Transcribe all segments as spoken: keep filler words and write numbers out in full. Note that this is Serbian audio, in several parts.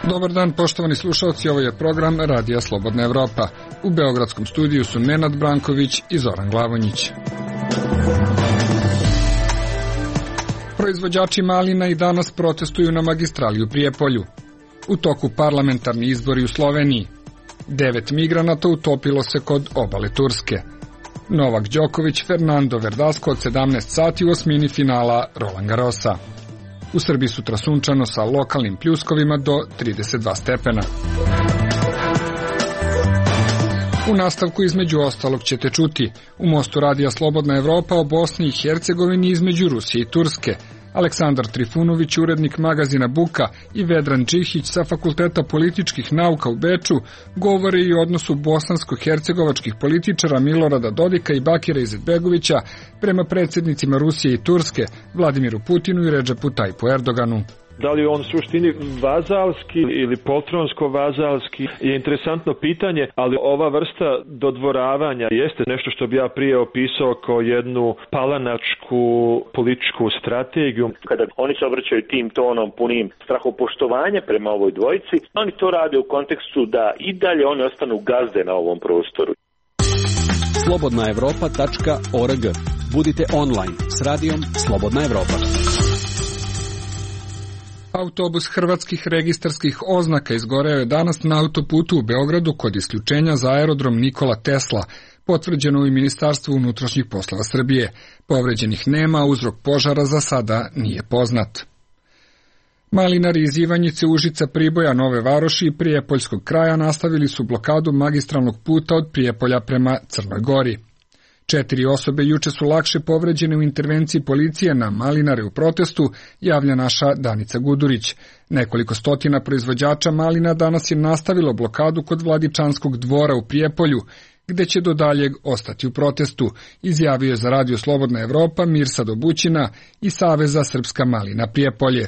Dobar dan, poštovani slušalci, ovo je program Radija Slobodna Evropa. U beogradskom studiju su Nenad Branković i Zoran Glavonjić. Proizvođači malina i danas protestuju na magistrali u Prijepolju. U toku parlamentarni izbori u Sloveniji. Devet migranata utopilo se kod obale Turske. Novak Đoković, Fernando Verdasco od sedamnaest sati u osmini finala Roland Garrosa. U Srbiji sutra sunčano sa lokalnim pljuskovima do trideset dva stepena. U nastavku između ostalog ćete čuti u Mostu Radija Slobodna Evropa o Bosni i Hercegovini između Rusije i Turske. Aleksandar Trifunović, urednik magazina Buka, i Vedran Čihić sa Fakulteta političkih nauka u Beču govore i o odnosu bosansko-hercegovačkih političara Milorada Dodika i Bakira Izetbegovića prema predsjednicima Rusije i Turske, Vladimiru Putinu i Redžepu Tajpu Erdoganu. Da li je on u suštini vazalski ili poltronsko-vazalski je interesantno pitanje, ali ova vrsta dodvoravanja jeste nešto što bi ja prije opisao kao jednu palanačku političku strategiju. Kada oni se obraćaju tim tonom punim strahopoštovanja prema ovoj dvojici, oni to rade u kontekstu da i dalje oni ostanu gazde na ovom prostoru. slobodna evropa tačka org. Budite online s radijom Slobodna Evropa. Autobus hrvatskih registarskih oznaka izgoreo je danas na autoputu u Beogradu kod isključenja za aerodrom Nikola Tesla, potvrđeno u Ministarstvu unutrašnjih poslova Srbije. Povređenih nema, uzrok požara za sada nije poznat. Malinari iz Ivanjice, Užica, Priboja, Nove Varoši i Prijepoljskog kraja nastavili su blokadu magistralnog puta od Prijepolja prema Crnoj Gori. Četiri osobe juče su lakše povređene u intervenciji policije na malinare u protestu, javlja naša Danica Gudurić. Nekoliko stotina proizvođača malina danas je nastavilo blokadu kod Vladičanskog dvora u Prijepolju, gde će do daljeg ostati u protestu, izjavio je za Radio Slobodna Evropa Mirsad Obućina i Saveza Srpska malina Prijepolje.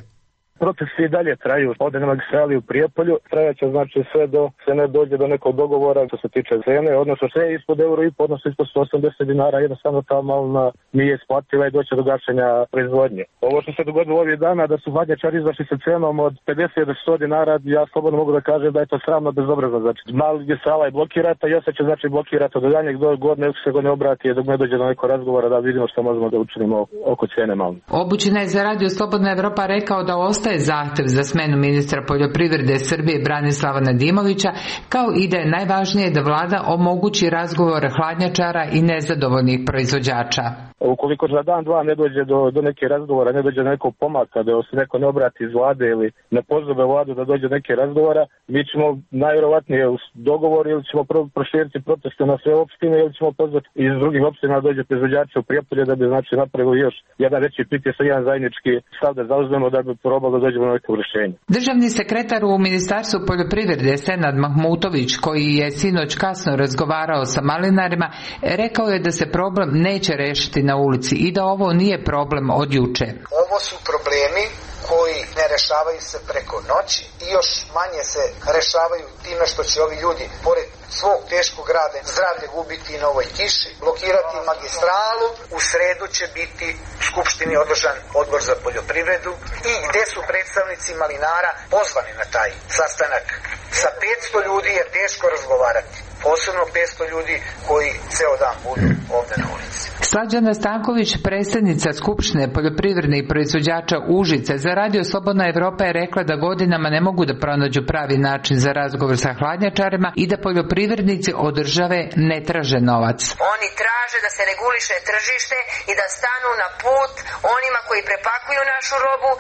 Protesti i dalje traju ovde na magistrali u Prijepolju, trajaće znači sve do se ne dođe do nekog dogovora što se tiče cene, odnosno sve ispod euro i po, odnosno ispod sto osamdeset dinara, jednostavno ta malina nije isplativa i doće do gašenja proizvodnje. Ovo što se dogodilo ovih dana da su hladnjačari izašli sa cenom od pedeset do sto dinara, ja slobodno mogu da kažem da je to sramno bezobrazno, znači magistrala je blokirata i ostaće znači blokirata do danjeg do godine se god ne obrati dok ne dođe do nekog razgovora da vidimo što možemo da učinimo oko cene malina. Obućina je za Radio Slobodna Evropa rekao da ostaje zahtev za smenu ministra poljoprivrede Srbije Branislava Nedimovića, kao i da je najvažnije da vlada omogući razgovor hladnjačara i nezadovoljnih proizvođača. Ukoliko za dan, dva ne dođe do, do neke razgovora, ne dođe do nekog pomaka, da se neko ne obrati iz vlade ili ne pozove vladu da dođe do neke razgovora, mi ćemo najvjerovatnije u dogovor ili ćemo proširiti proteste na sve opštine ili ćemo pozvati iz drugih opština da dođe proizvođači u Prijepolje da bi znači napravili još jedan veći pritisak, jedan zajednički stav da zauzmemo da bi probalo da dođemo na neko rješenje. Državni sekretar u Ministarstvu poljoprivrede Senad Mahmutović, koji je sinoć kasno razgovarao sa malinarima, rekao je da se problem neće rešiti na ulici i da ovo nije problem od juče. Ovo su problemi koji ne rešavaju se preko noći i još manje se rešavaju time što će ovi ljudi pored svog teškog rada zdravlje gubiti na ovoj kiši, blokirati magistralu. U sredu će biti u Skupštini održan odbor za poljoprivredu i gde su predstavnici malinara pozvani na taj sastanak. Sa petsto ljudi je teško razgovarati, posebno petsto ljudi koji ceo dan budu ovde na ulici. Slađana Stanković, predsjednica Skupštine poljoprivrednih proizvođača Užice, za Radio Slobodna Evropa je rekla da godinama ne mogu da pronađu pravi način za razgovor sa hladnjačarima i da poljoprivrednici od države ne traže novac. Oni traže da se reguliše tržište i da stanu na put onima koji prepakuju našu robu,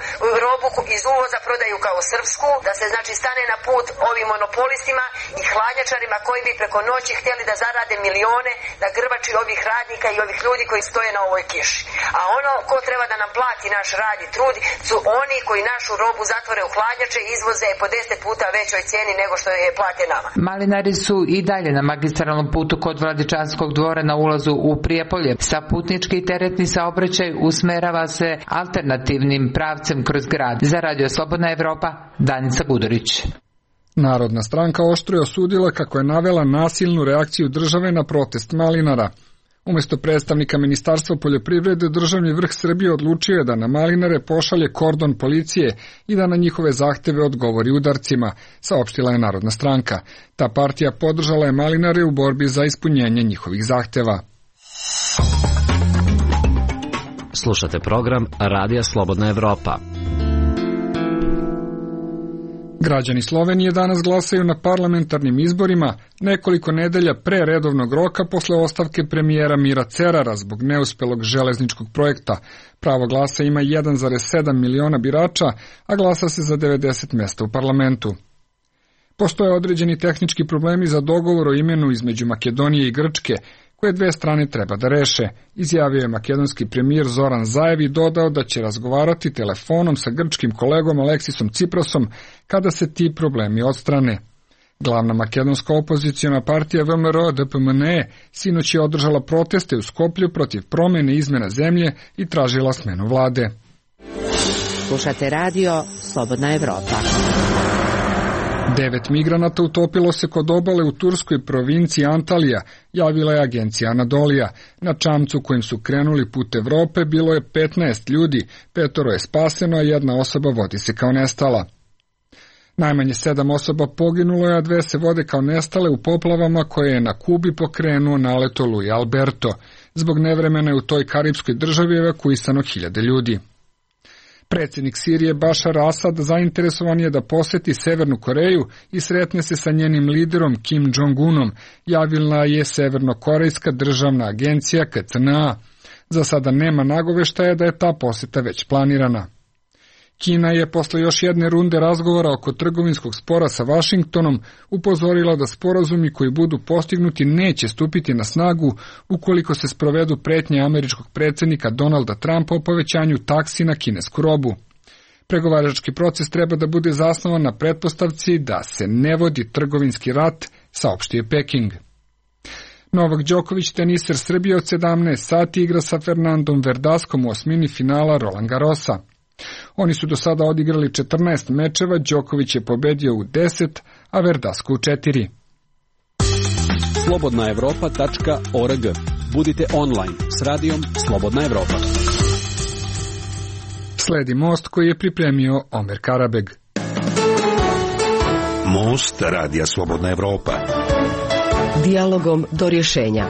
robu iz uvoza prodaju kao srpsku, da se znači stane na put ovim monopolistima i hladnjačarima koji bi preko noći htjeli da zarade milione na grbači ovih radnika i ovih ljudi koji stoje na ovoj kiši. A ono ko treba da nam plati naš rad i trud su oni koji našu robu zatvore u hladnjače i izvoze po deset puta većoj cijeni nego što je plate nama. Malinari su i dalje na magistralnom putu kod Vladičanskog dvora na ulazu u Prijepolje. Sa putnički i teretni saobraćaj usmerava se alternativnim pravcem kroz grad. Za Radio Slobodna Evropa, Danica Gudurić. Narodna stranka oštro je osudila kako je navela nasilnu reakciju države na protest malinara. Umesto predstavnika Ministarstva poljoprivrede, državni vrh Srbije odlučio je da na malinare pošalje kordon policije i da na njihove zahteve odgovori udarcima, saopštila je Narodna stranka. Ta partija podržala je malinare u borbi za ispunjenje njihovih zahteva. Slušate program Radija Slobodna Evropa. Građani Slovenije danas glasaju na parlamentarnim izborima nekoliko nedelja pre redovnog roka posle ostavke premijera Mira Cerara zbog neuspelog železničkog projekta. Pravo glasa ima jedan zarez sedam miliona birača, a glasa se za devedeset mesta u parlamentu. Postoje određeni tehnički problemi za dogovor o imenu između Makedonije i Grčke, koje dve strane treba da reše, izjavio je makedonski premijer Zoran Zaev i dodao da će razgovarati telefonom sa grčkim kolegom Aleksisom Ciprasom kada se ti problemi odstrane. Glavna makedonska opoziciona partija V M R D P M N E sinoć je održala proteste u Skoplju protiv promene izmena zemlje i tražila smenu vlade. Slušate radio Slobodna Evropa. Devet migranata utopilo se kod obale u turskoj provinciji Antalija, javila je agencija Anadolija. Na čamcu kojim su krenuli put Evrope bilo je petnaest ljudi, petoro je spaseno, a jedna osoba vodi se kao nestala. Najmanje sedam osoba poginulo je, a dve se vode kao nestale u poplavama koje je na Kubi pokrenuo nalet oluje Alberto. Zbog nevremena je u toj karipskoj državi evakuisano hiljade ljudi. Predsjednik Sirije Bašar Asad zainteresovan je da poseti Severnu Koreju i sretne se sa njenim liderom Kim Jong-unom, javila je Severnokorejska državna agencija K C N A. Za sada nema nagoveštaja da je ta poseta već planirana. Kina je posle još jedne runde razgovora oko trgovinskog spora sa Vašingtonom upozorila da sporazumi koji budu postignuti neće stupiti na snagu ukoliko se sprovedu pretnje američkog predsjednika Donalda Trumpa o povećanju taksi na kinesku robu. Pregovarački proces treba da bude zasnovan na pretpostavci da se ne vodi trgovinski rat, saopštio Peking. Novak Đoković, teniser Srbije, od sedamnaest sati igra sa Fernandom Verdaskom u osmini finala Roland Garrosa. Oni su do sada odigrali četrnaest mečeva, Đoković je pobedio u deset, a Verdasco u četiri. slobodna evropa tačka org. Budite online s radijom Slobodna Evropa. Sledi Most koji je pripremio Omer Karabeg. Most Radija Slobodna Evropa. Dijalogom do rješenja.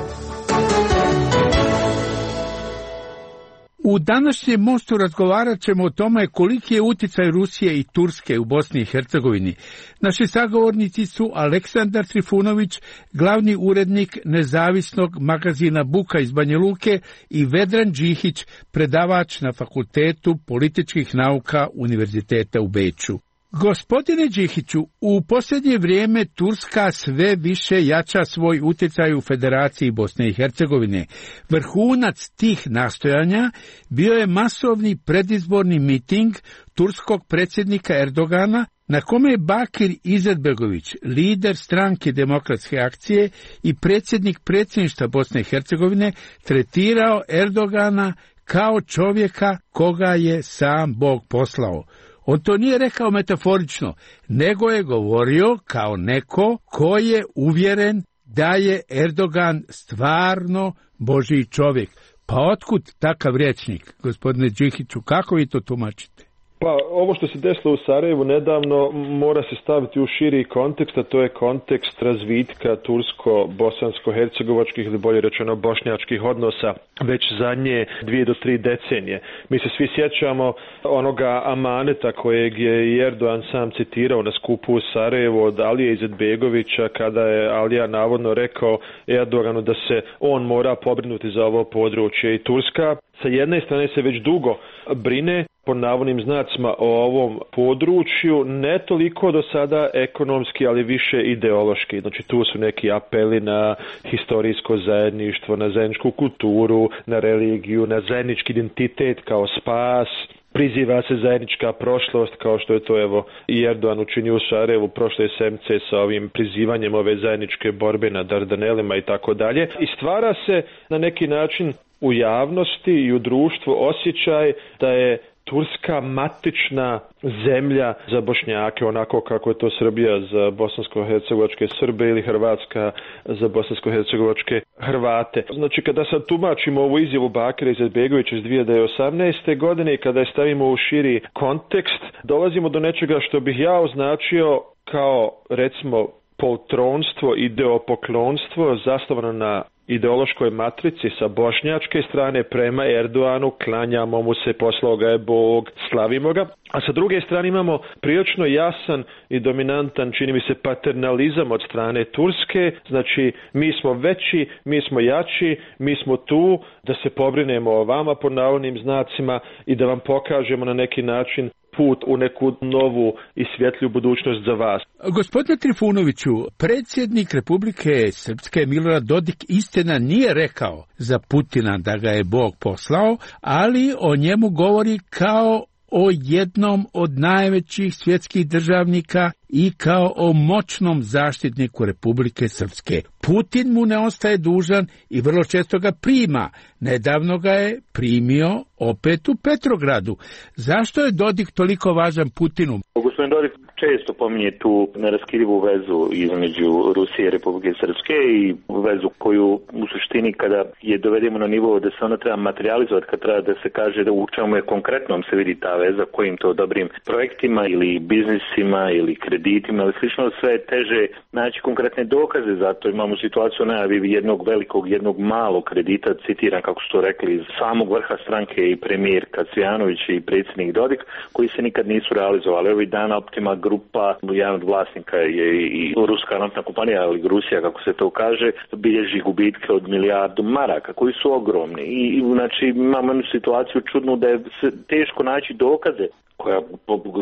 U današnjem Mostu razgovarat ćemo o tome koliki je uticaj Rusije i Turske u Bosni i Hercegovini. Naši sagovornici su Aleksandar Trifunović, glavni urednik nezavisnog magazina Buka iz Banja Luke, i Vedran Đihić, predavač na Fakultetu političkih nauka Univerziteta u Beču. Gospodine Đihiću, u posljednje vrijeme Turska sve više jača svoj utjecaj u Federaciji Bosne i Hercegovine. Vrhunac tih nastojanja bio je masovni predizborni miting turskog predsjednika Erdogana, na kome je Bakir Izetbegović, lider stranke Demokratske akcije i predsjednik predsjedništva Bosne i Hercegovine, tretirao Erdogana kao čovjeka koga je sam Bog poslao. On to nije rekao metaforično, nego je govorio kao neko ko je uvjeren da je Erdogan stvarno Božji čovjek. Pa otkud takav rječnik, gospodine Đihiću, kako vi to tumačite? Pa ovo što se desilo u Sarajevu nedavno mora se staviti u širi kontekst, a to je kontekst razvitka tursko-bosansko-hercegovačkih ili bolje rečeno bošnjačkih odnosa već zadnje dvije do tri decenije. Mi se svi sjećamo onoga amaneta kojeg je Erdogan sam citirao na skupu u Sarajevu od Alije Izetbegovića, kada je Alija navodno rekao Erdoganu da se on mora pobrinuti za ovo područje. I Turska sa jedne strane se već dugo brine po navodnim znacima o ovom području, ne toliko do sada ekonomski, ali više ideološki. Znači tu su neki apeli na historijsko zajedništvo, na zajedničku kulturu, na religiju, na zajednički identitet kao spas. Priziva se zajednička prošlost, kao što je to evo i Erdogan učinio u Sarajevu prošle sedmice sa ovim prizivanjem ove zajedničke borbe na Dardanelima i tako dalje. I stvara se na neki način u javnosti i u društvu osjećaj da je Turska matična zemlja za Bošnjake, onako kako je to Srbija za bosansko-hercegovačke Srbe ili Hrvatska za bosansko-hercegovačke Hrvate. Znači, kada sad tumačimo ovu izjavu Bakira Izetbegovića iz dvije hiljade osamnaeste. godine i kada je stavimo u širi kontekst, dolazimo do nečega što bih ja označio kao, recimo, poltronstvo, ideopoklonstvo zasnovano na ideološkoj matrici sa bošnjačke strane prema Erdoanu, klanjamo mu se, poslao ga je Bog, slavimo ga. A sa druge strane imamo prilično jasan i dominantan, čini mi se, paternalizam od strane Turske. Znači, mi smo veći, mi smo jači, mi smo tu da se pobrinemo o vama pod navodnim znacima i da vam pokažemo na neki način put u neku novu i svjetlju budućnost za vas. Gospodine Trifunoviću, predsjednik Republike Srpske Milorad Dodik istina nije rekao za Putina da ga je Bog poslao, ali o njemu govori kao o jednom od najvećih svjetskih državnika i kao o moćnom zaštitniku Republike Srpske. Putin mu ne ostaje dužan i vrlo često ga prima. Nedavno ga je primio opet u Petrogradu. Zašto je Dodik toliko važan Putinu? Gospodin Dodik često pominje tu neraskidivu vezu između Rusije i Republike Srpske i vezu koju u suštini kada je dovedemo na nivo da se ona treba materializovati, kad treba da se kaže da u čemu je konkretnom se vidi ta veza, kojim to dobrim projektima ili biznisima ili kreditima ili slično, sve je teže naći konkretne dokaze, zato imamo situaciju najavi jednog velikog, jednog malog kredita, citiram kako su to rekli, iz samog vrha stranke i premijer Kacvijanović i predsjednik Dodik, koji se nikad nisu realizovali. Ovih dana Optima grupa, jedan od vlasnika je i ruska naftna kompanija, ali Rusija, kako se to kaže, bilježi gubitke od milijardu maraka, koji su ogromni. I znači imamo jednu situaciju čudnu da je teško naći dokaze koja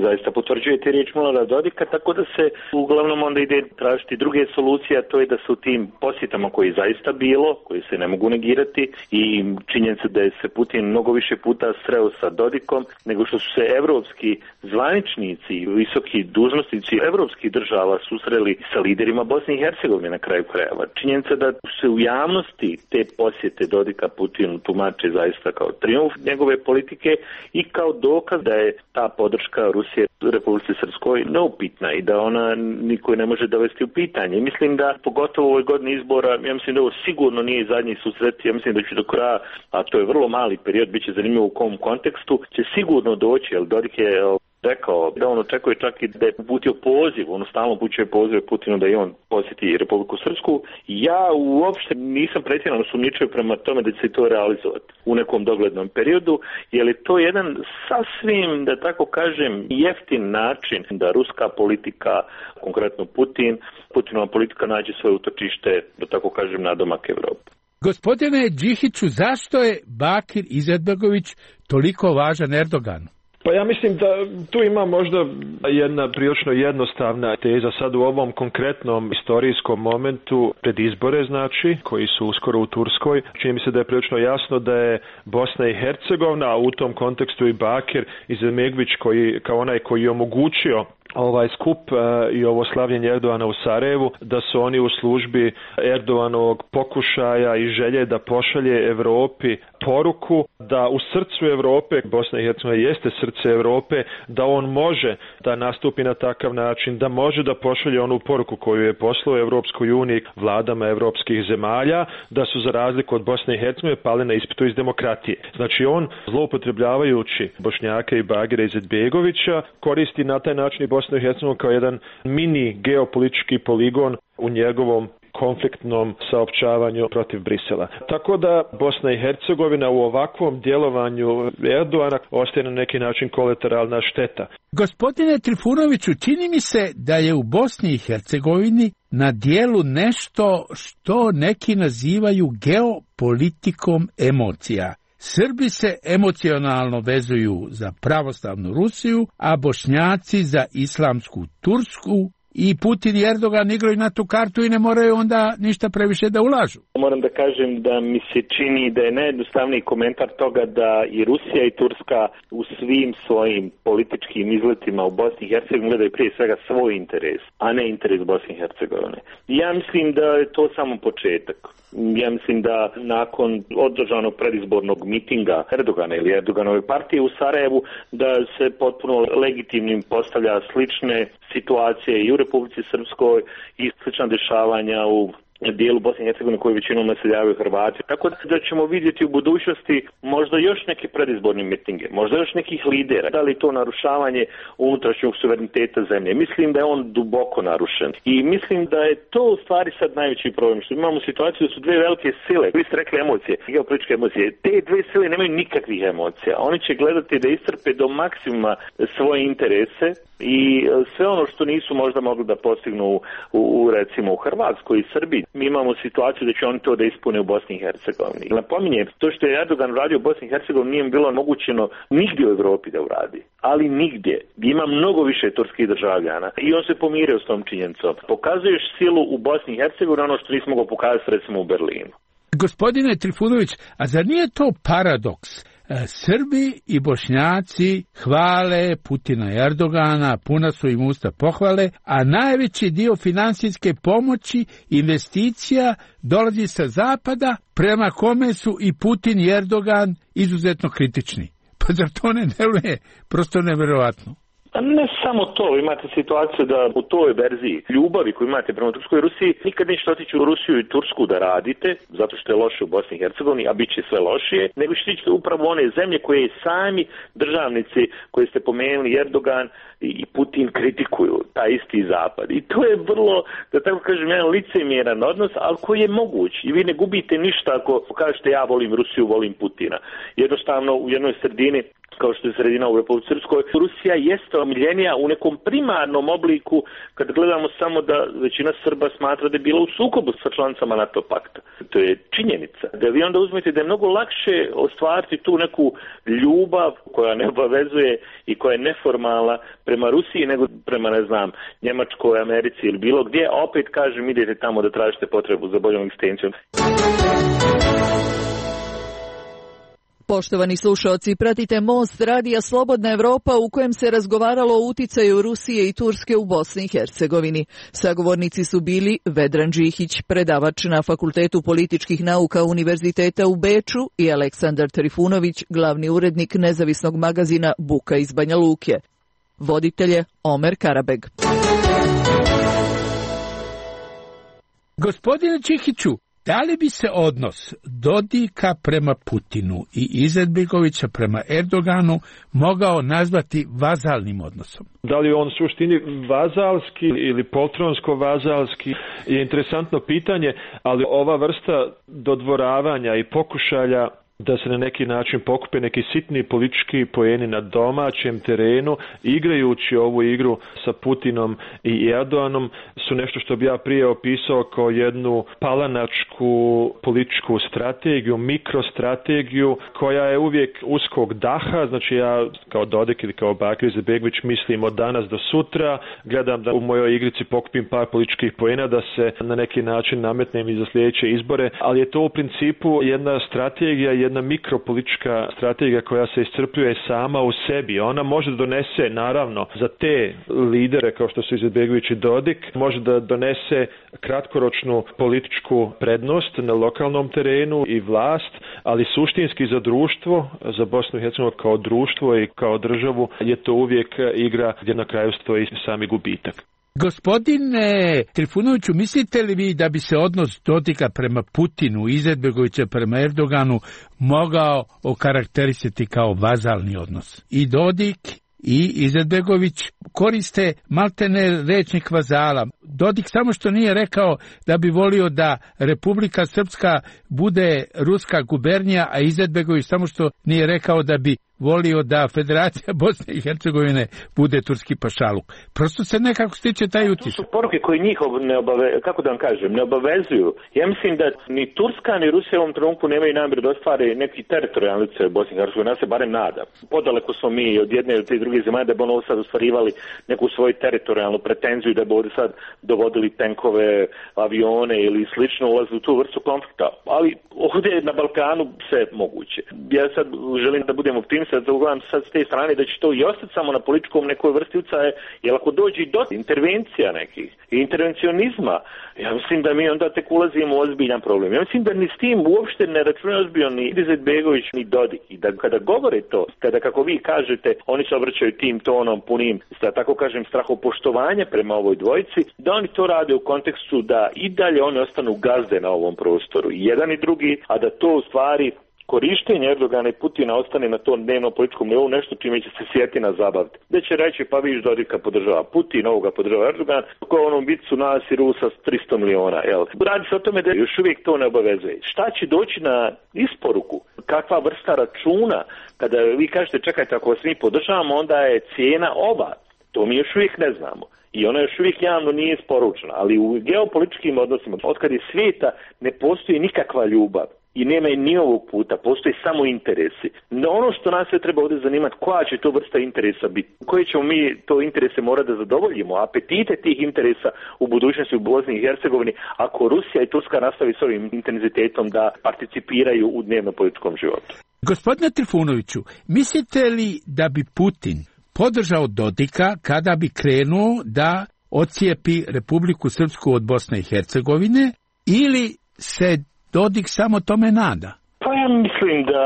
zaista potvrđuje te riječi Milorada Dodika, tako da se uglavnom onda ide tražiti druge solucije, a to je da se u tim posjetama koji je zaista bilo, koji se ne mogu negirati i činjenica da je se Putin mnogo više puta sreo sa Dodikom nego što su se evropski zvaničnici i visoki dužnosnici evropskih država susreli sa liderima Bosne i Hercegovine na kraju krajeva. Činjenica da se u javnosti te posjete Dodika Putinu tumače zaista kao trijumf njegove politike i kao dokaz da je ta podrška Rusije Republici Srpskoj neupitna i da ona niko ne može dovesti u pitanje. Mislim da pogotovo u ovoj godini izbora, ja mislim da ovo sigurno nije zadnji susret, ja mislim da će do kraja, a to je vrlo mali period, bit će zanimljivo u kom kontekstu, će sigurno doći, jer Dodik je rekao da on očekuje čak i da je uputio poziv, ono stalno upućuje poziv Putinu da i on posjeti Republiku Srpsku. Ja uopšte nisam pretjerano sumnjičio prema tome da će se to realizovati u nekom doglednom periodu, jer je to jedan sasvim, da tako kažem, jeftin način da ruska politika, konkretno Putin, Putinova politika nađe svoje utočište, da tako kažem, na domak Evrope. Gospodine Đihiću, zašto je Bakir Izetbegović toliko važan Erdoganu? Pa ja mislim da tu ima možda jedna prilično jednostavna teza sad u ovom konkretnom istorijskom momentu pred izbore, znači, koji su uskoro u Turskoj. Čini mi se da je prilično jasno da je Bosna i Hercegovina, a u tom kontekstu i Bakir Izetbegović koji, kao onaj koji je omogućio ovaj skup uh, i ovo slavljenje Erdoana u Sarajevu, da su oni u službi Erdoanovog pokušaja i želje da pošalje Evropi poruku da u srcu Evrope, Bosna i Hercegovina jeste srce Evrope, da on može da nastupi na takav način, da može da pošalje onu poruku koju je poslao Evropskoj uniji vladama evropskih zemalja, da su za razliku od Bosne i Hercegovine pali na ispitu iz demokratije. Znači on, zloupotrebljavajući Bošnjaka i Bakira Izetbegovića, koristi na taj način i Bosnu i Hercegovinu kao jedan mini geopolitički poligon u njegovom konfliktnom saopćavanju protiv Brisela. Tako da Bosna i Hercegovina u ovakvom djelovanju Erdoana ostaje na neki način kolateralna šteta. Gospodine Trifunoviću, čini mi se da je u Bosni i Hercegovini na dijelu nešto što neki nazivaju geopolitikom emocija. Srbi se emocionalno vezuju za pravoslavnu Rusiju, a Bošnjaci za islamsku Tursku i Putin i Erdogan igraju na tu kartu i ne moraju onda ništa previše da ulažu. Moram da kažem da mi se čini da je najjednostavniji komentar toga da i Rusija i Turska u svim svojim političkim izletima u Bosni i Hercegovini gledaju prije svega svoj interes, a ne interes Bosne i Hercegovine. Ja mislim da je to samo početak. Ja mislim da nakon održanog predizbornog mitinga Erdogana ili Erdoganove partije u Sarajevu da se potpuno legitimnim postavlja slične situacije i u Republici Srpskoj i slična dešavanja u dijelu Bosne i Hercegovine koji većinom naseljavaju Hrvati. Tako da ćemo vidjeti u budućnosti možda još neke predizborne mitinge, možda još nekih lidera. Da li to narušavanje unutrašnjeg suvereniteta zemlje? Mislim da je on duboko narušen. I mislim da je to u stvari sad najveći problem. Što imamo situaciju da su dve velike sile, vi ste rekli emocije, geopolitičke emocije. Te dve sile nemaju nikakvih emocija. Oni će gledati da iscrpe do maksimuma svoje interese i sve ono što nisu možda mogli da postignu u, u recimo u Hrvatskoj i Srbiji. Mi imamo situaciju da će oni to da ispune u Bosni i Hercegovini. Napominjem, to što je Erdogan uradio u Bosni i Hercegovini nije bilo omogućeno nigdje u Evropi da uradi. Ali nigdje. Ima mnogo više turskih državljana i on se pomirio s tom činjenicom. Pokazuješ silu u Bosni i Hercegovini ono što nismo mogli pokazati recimo u Berlinu. Gospodine Trifunović, a zar nije to paradoks? Srbi i Bošnjaci hvale Putina i Erdogana, puna su im usta pohvale, a najveći dio finansijske pomoći, investicija dolazi sa zapada, prema kome su i Putin i Erdogan izuzetno kritični. Pa zar to ne deluje prosto neverovatno? Ne samo to, imate situaciju da u toj verziji ljubavi koju imate prema Turskoj i Rusiji nikad nećete otići u Rusiju i Tursku da radite, zato što je loše u Bosni i Hercegovini, a bit će sve lošije, nego ćete ići upravo one zemlje koje sami državnici koje ste pomenuli, Erdogan i Putin, kritikuju, taj isti zapad. I to je vrlo, da tako kažem, jedan licemjeran odnos, ali koji je moguć. I vi ne gubite ništa ako kažete ja volim Rusiju, volim Putina. Jednostavno u jednoj sredini, kao što je sredina u Republici Srpskoj, Rusija jeste omiljenija u nekom primarnom obliku kad gledamo samo da većina Srba smatra da je bila u sukobu sa članicama NATO pakta. To je činjenica. Da vi onda uzmete da je mnogo lakše ostvariti tu neku ljubav koja ne obavezuje i koja je neformalna prema Rusiji nego prema, ne znam, Njemačkoj, Americi ili bilo gdje. A opet kažem, idete tamo da tražite potrebu za boljom egzistencijom. Poštovani slušaoci, pratite Most radija Slobodna Evropa u kojem se razgovaralo o uticaju Rusije i Turske u Bosni i Hercegovini. Sagovornici su bili Vedran Đihić, predavač na Fakultetu političkih nauka Univerziteta u Beču i Aleksandar Trifunović, glavni urednik nezavisnog magazina Buka iz Banja Luke. Voditelj je Omer Karabeg. Gospodine Đihiću, da li bi se odnos Dodika prema Putinu i Izetbegovića prema Erdoganu mogao nazvati vazalnim odnosom? Da li je on suštini vazalski ili poltronsko-vazalski je interesantno pitanje, ali ova vrsta dodvoravanja i pokušalja da se na neki način pokupe neki sitni politički poeni na domaćem terenu, igrajući ovu igru sa Putinom i Erdoganom, su nešto što bi ja prije opisao kao jednu palanačku političku strategiju, mikrostrategiju, koja je uvijek uskog daha. Znači ja kao Dodik ili kao Bakir Izetbegović mislim od danas do sutra, gledam da u mojoj igrici pokupim par političkih poena, da se na neki način nametnem i za sljedeće izbore, ali je to u principu jedna strategija, jedna jedna mikropolitička strategija koja se iscrpljuje sama u sebi. Ona može da donese, naravno, za te lidere kao što su Izetbegović i Dodik, može da donese kratkoročnu političku prednost na lokalnom terenu i vlast, ali suštinski za društvo, za Bosnu i Hercegovinu kao društvo i kao državu je to uvijek igra gdje na kraju stoji sami gubitak. Gospodine Trifunoviću, mislite li vi da bi se odnos Dodika prema Putinu, Izetbegovića prema Erdoganu mogao okarakterisati kao vazalni odnos? I Dodik i Izetbegović koriste maltene rečnik vazala. Dodik samo što nije rekao da bi volio da Republika Srpska bude ruska gubernija, a Izetbegović samo što nije rekao da bi volio da Federacija Bosne i Hercegovine bude turski pašaluk. Prosto se nekako stiče taj utisak. To su poruke koje njih ne obave, kako da vam kažem, ne obavezuju. Ja mislim da ni Turska ni Rusija u ovom trenutku nemaju namjeru da ostvare neki teritorijalni utjecaj u Bosni i Hercegovini. Ja se barem nadam. Podaleko smo mi od jedne ili te druge zemalje da bi ono sad ostvarivali neku svoju teritorijalnu pretenziju, da bi ovdje sad dovodili tenkove, avione ili slično, ulazili u tu vrstu konflikta. Ali ovdje na Balkanu sve moguće. Ja sad želim da budem optimista, da ugledam sad s te strane da će to i ostati samo na političkom nekoj vrsti utjecaja, jer ako dođe do intervencija nekih i intervencionizma, ja mislim da mi onda tek ulazimo u ozbiljan problem. Ja mislim da ni s tim uopšte ne računaju ozbiljno ni Izetbegović ni Dodik. I da kada govore to, kada kako vi kažete, oni se obraćaju tim tonom punim, da tako kažem, strahopoštovanja prema ovoj dvojici, da oni to rade u kontekstu da i dalje oni ostanu gazde na ovom prostoru. I jedan i drugi, a da to u stvari korištenje Erdogana i Putina ostane na tom dnevnom političkom nivou nešto čime će se Sjetina zabaviti. Da će reći pa viš Dodika podržava Putin, ovoga podržava Erdogan, ko je onom bicu nas i Rusa s tristo miliona. Jel? Radi se o tome da još uvijek to ne obavezuje. Šta će doći na isporuku? Kakva vrsta računa? Kada vi kažete čekajte ako vas mi podržavamo, onda je cijena ova. To mi još uvijek ne znamo. I ona još uvijek javno nije isporučena. Ali u geopolitičkim odnosima, otkad je svijeta, ne postoji nikakva ljubav. I nema i ni ovog puta, postoji samo interesi. No ono što nas sve treba ovdje zanimati, koja će to vrsta interesa biti, koje ćemo mi to interese morati da zadovoljimo, apetite tih interesa u budućnosti u Bosni i Hercegovini, ako Rusija i Turska nastavi s ovim intenzitetom da participiraju u dnevno političkom životu. Gospodine Trifunoviću, mislite li da bi Putin podržao Dodika kada bi krenuo da ocijepi Republiku Srpsku od Bosne i Hercegovine, ili se Dodik samo tome nada? Pa ja mislim da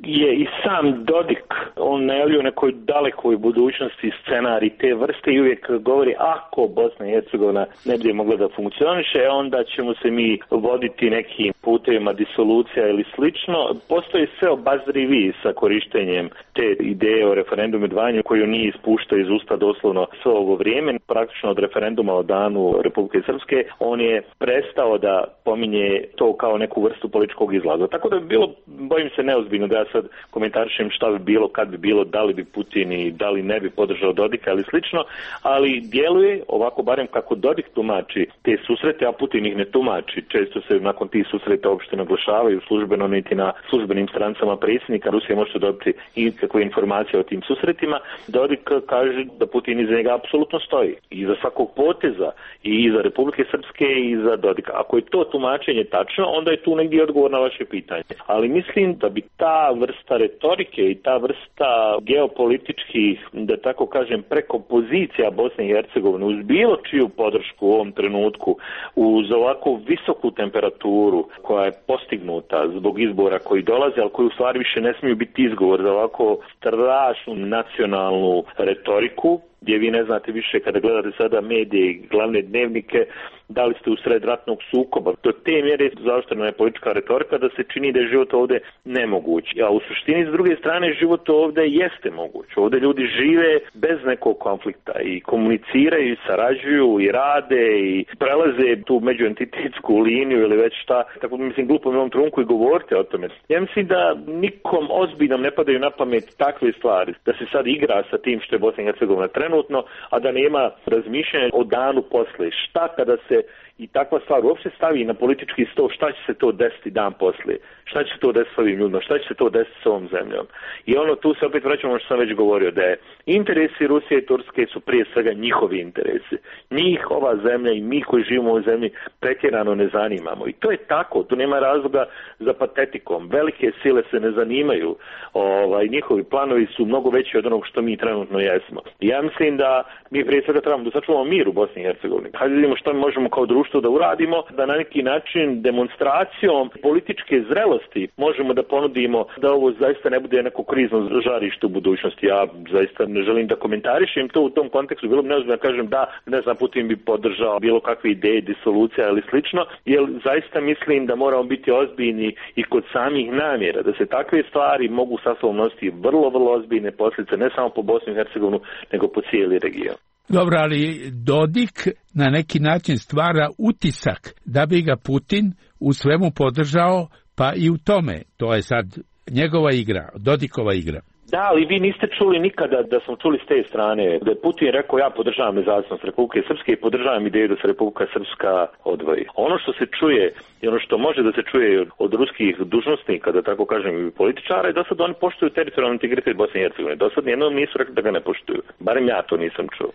je i sam Dodik, on najavljuje nekoj dalekoj budućnosti scenarij te vrste i uvijek govori ako Bosna i Hercegovina ne bude mogla da funkcioniše, onda ćemo se mi voditi nekim putevima disolucija ili slično. Postoji sve obazrivi sa korištenjem te ideje o referendumu dvanju koju nije ispuštao iz usta doslovno sve ovo vrijeme. Praktično od referenduma o danu Republike Srpske on je prestao da pominje to kao neku vrstu političkog izlaza. Tako da bilo, bojim se neozbiljno da ja sad komentarišem šta bi bilo, kad bi bilo, da li bi Putin i da li ne bi podržao Dodika ili slično, ali djeluje ovako barem kako Dodik tumači te susrete, a Putin ih ne tumači. Često se nakon tih susreta uopšte naglašavaju službeno niti na službenim strancama predsjednika. Rusija može dobiti i kakve informacije o tim susretima. Dodik kaže da Putin iza njega apsolutno stoji. I iza svakog poteza i iza Republike Srpske i iza Dodika. Ako je to tumačenje tačno, onda je tu negdje odgovor na vaše pitanje. Ali mislim da bi ta vrsta retorike i ta vrsta geopolitičkih, da tako kažem, prekompozicija Bosne i Hercegovine uz bilo čiju podršku u ovom trenutku, uz ovako visoku temperaturu koja je postignuta zbog izbora koji dolaze, ali koji u stvari više ne smiju biti izgovor za ovako strašnu nacionalnu retoriku, gdje vi ne znate više kada gledate sada medije i glavne dnevnike, da li ste u sred ratnog sukoba. Do te mjere zaoštrena je politička retorika da se čini da je život ovdje nemoguć. A u suštini, s druge strane, život ovdje jeste moguć. Ovdje ljudi žive bez nekog konflikta i komuniciraju, i sarađuju, i rade, i prelaze tu međuentitetsku liniju ili već šta. Tako mislim, glupo mi u ovom trenutku i govorite o tome. Ja mislim da nikom ozbiljnom ne padaju na pamet takve stvari, da se sad igra sa tim što je Bosna i Hercegovina trenutno, a da nema razmišljanja o danu posle. Šta kada se i takva stvar uopšte stavi na politički sto, šta će se to desiti dan poslije? Šta će se to desiti s ovim ljudima? Šta će se to desiti s ovom zemljom? I ono, tu se opet vraćamo što sam već govorio, da je interesi Rusije i Turske su prije svega njihovi interesi. Njih ova zemlja i mi koji živimo u ovoj zemlji pretjerano ne zanimamo. I to je tako, tu nema razloga za patetikom. Velike sile se ne zanimaju, ovaj, njihovi planovi su mnogo veći od onog što mi trenutno jesmo. I ja mislim da mi prije svega trebamo da sačuvamo mir u Bosni i Hercegovini. Hajde vidimo što mi možemo kao društvo da uradimo, da na neki način demonstracijom političke zrelosti možemo da ponudimo da ovo zaista ne bude neko krizno žarište u budućnosti. Ja zaista ne želim da komentarišem to u tom kontekstu, bilo bi neozbiljno da kažem da, ne znam, Putin bi podržao bilo kakve ideje, disolucija ili slično, jer zaista mislim da moramo biti ozbiljni i kod samih namjera, da se takve stvari mogu sa sobom nositi vrlo, vrlo ozbiljne posljedice, ne samo po Bosni i Hercegovinu, nego po cijeli region. Dobro, ali Dodik na neki način stvara utisak da bi ga Putin u svemu podržao, pa i u tome. To je sad njegova igra, Dodikova igra. Da, ali vi niste čuli nikada da smo čuli s te strane da je Putin rekao ja podržavam nezavisnost Republike Srpske i podržavam ideju da se Republika Srpska odvoji. Ono što se čuje i ono što može da se čuje od ruskih dužnosnika, da tako kažem i političara, je da sad oni poštuju teritorijalni integritet Bosne i Hercegovine. Do sad nijednom nisu rekli da ga ne poštuju. Barem ja to nisam čuo.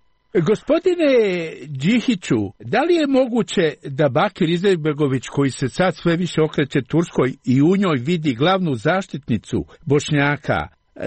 Gospodine Đihiću, da li je moguće da Bakir Izetbegović, koji se sad sve više okreće Turskoj i u njoj vidi glavnu zaštitnicu Bošnjaka,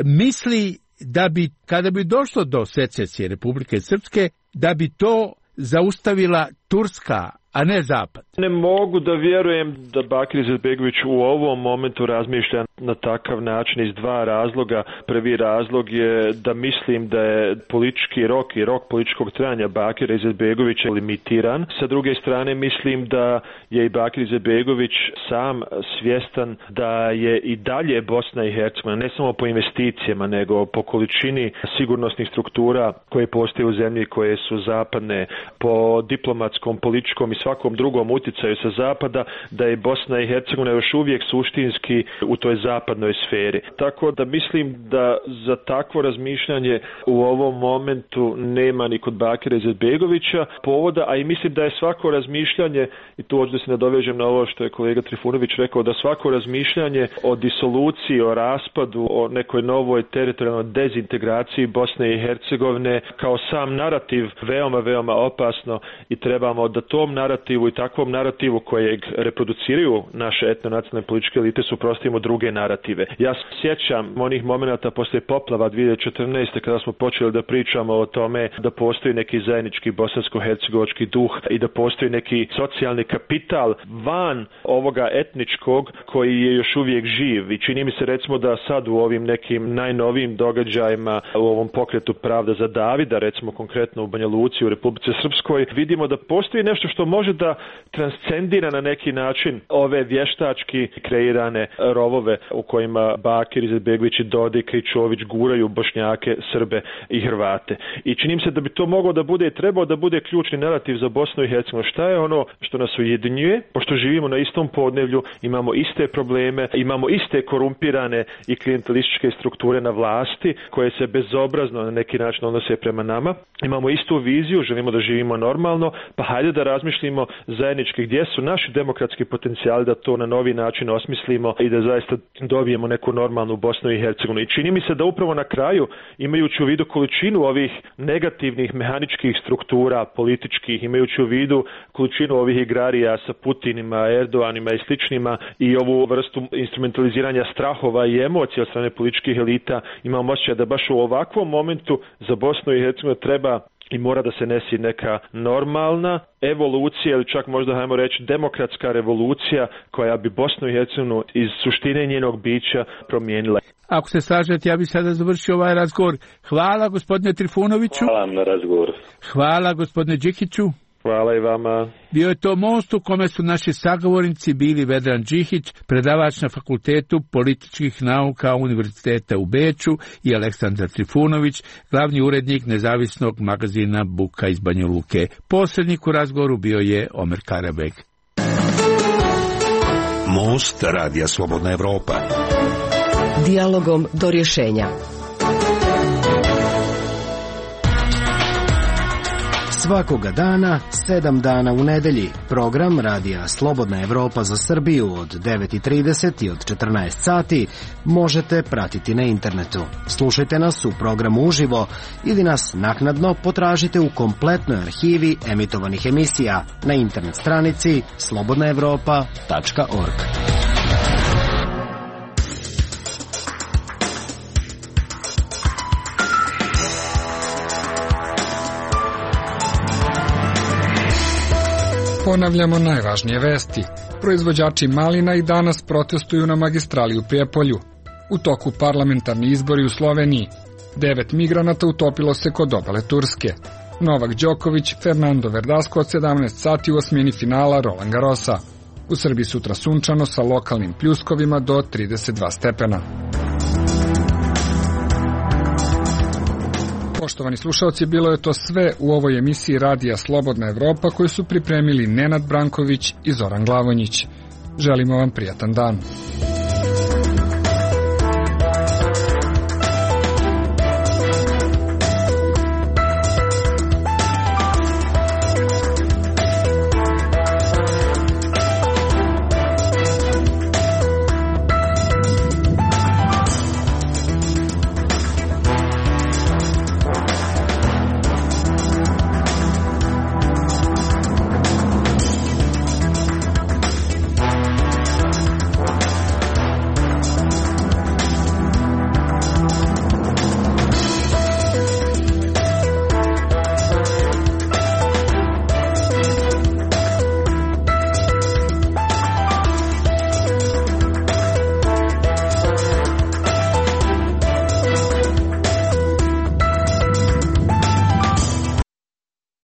misli da bi, kada bi došlo do secesije Republike Srpske, da bi to zaustavila Turska, a ne Zapad? Ne mogu da vjerujem da Bakir Izetbegović u ovom momentu razmišlja na takav način iz dva razloga. Prvi razlog je da mislim da je politički rok i rok političkog trajanja Bakira Izetbegovića limitiran. Sa druge strane mislim da je i Bakir Izetbegović sam svjestan da je i dalje Bosna i Hercegovina, ne samo po investicijama, nego po količini sigurnosnih struktura koje postoje u zemlji, koje su zapadne, po diplomatskom, političkom i svakom drugom utjecaju sa zapada, da je Bosna i Hercegovina još uvijek suštinski u toj zapadnoj sferi. Tako da mislim da za takvo razmišljanje u ovom momentu nema ni kod Bakira Izetbegovića povoda, a i mislim da je svako razmišljanje, i tu hoću da se nadovežem na ovo što je kolega Trifunović rekao, da svako razmišljanje o disoluciji, o raspadu, o nekoj novoj teritorijalnoj dezintegraciji Bosne i Hercegovine kao sam narativ veoma, veoma opasno i trebamo da tom narativu i takvom narativu kojeg reproduciraju naše etnonacionalne političke elite suprotstavimo druge narative. Ja se sjećam onih momenata poslije poplava dvije hiljade četrnaeste kada smo počeli da pričamo o tome da postoji neki zajednički bosansko-hercegovački duh i da postoji neki socijalni kapital van ovoga etničkog koji je još uvijek živ. I čini mi se recimo da sad u ovim nekim najnovijim događajima u ovom pokretu Pravda za Davida, recimo konkretno u Banja Luci u Republici Srpskoj, vidimo da postoji nešto što može da transcendira na neki način ove vještački kreirane rovove u kojima Bakir Izetbegović i Dodik i Čović guraju Bošnjake, Srbe i Hrvate. I čini mi se da bi to moglo da bude i trebao da bude ključni narativ za Bosnu i Hercegovinu. Šta je ono što nas ujedinjuje? Pošto živimo na istom podneblju, imamo iste probleme, imamo iste korumpirane i klijentelističke strukture na vlasti koje se bezobrazno na neki način odnose prema nama. Imamo istu viziju, želimo da živimo normalno, pa hajde da razmišljimo zajednički gdje su naši demokratski potencijali da to na novi način osmislimo i da zaista dobijemo neku normalnu Bosnu i Hercegovinu. I čini mi se da upravo na kraju, imajući u vidu količinu ovih negativnih mehaničkih struktura političkih, imajući u vidu količinu ovih igrarija sa Putinima, Erdoganima i sličnima i ovu vrstu instrumentaliziranja strahova i emocija od strane političkih elita, imam osjećaj da baš u ovakvom momentu za Bosnu i Hercegovinu treba i mora da se nesi neka normalna evolucija ili čak možda hajmo reći demokratska revolucija koja bi Bosnu i Hercegovinu iz suštine njenog bića promijenila. Ako se slažete, ja bih sada završio ovaj razgovor. Hvala gospodine Trifunoviću. Hvala na razgovor. Hvala gospodine Đihiću. Hvala i vama. Bio je to most u kome su naši sagovornici bili Vedran Đihić, predavač na Fakultetu političkih nauka Univerziteta u Beču, i Aleksandar Trifunović, glavni urednik nezavisnog magazina Buka iz Banja Luke. Posrednik u razgovoru bio je Omer Karabek. Most Radija Slobodna Evropa. Dijalogom do rješenja. Svakoga dana, sedam dana u nedelji, program Radija Slobodna Evropa za Srbiju od devet i trideset i od četrnaest sati možete pratiti na internetu. Slušajte nas u programu uživo ili nas naknadno potražite u kompletnoj arhivi emitovanih emisija na internet stranici slobodna evropa tačka org. Ponavljamo najvažnije vesti. Proizvođači malina i danas protestuju na magistrali u Prijepolju. U toku parlamentarni izbori u Sloveniji. Devet migranata utopilo se kod obale Turske. Novak Đoković, Fernando Verdasco od sedamnaest sati u osmini finala Roland Garrosa. U Srbiji sutra sunčano sa lokalnim pljuskovima do trideset dva stepena. Poštovani slušalci, bilo je to sve u ovoj emisiji Radija Slobodna Evropa koju su pripremili Nenad Branković i Zoran Glavonjić. Želimo vam prijatan dan.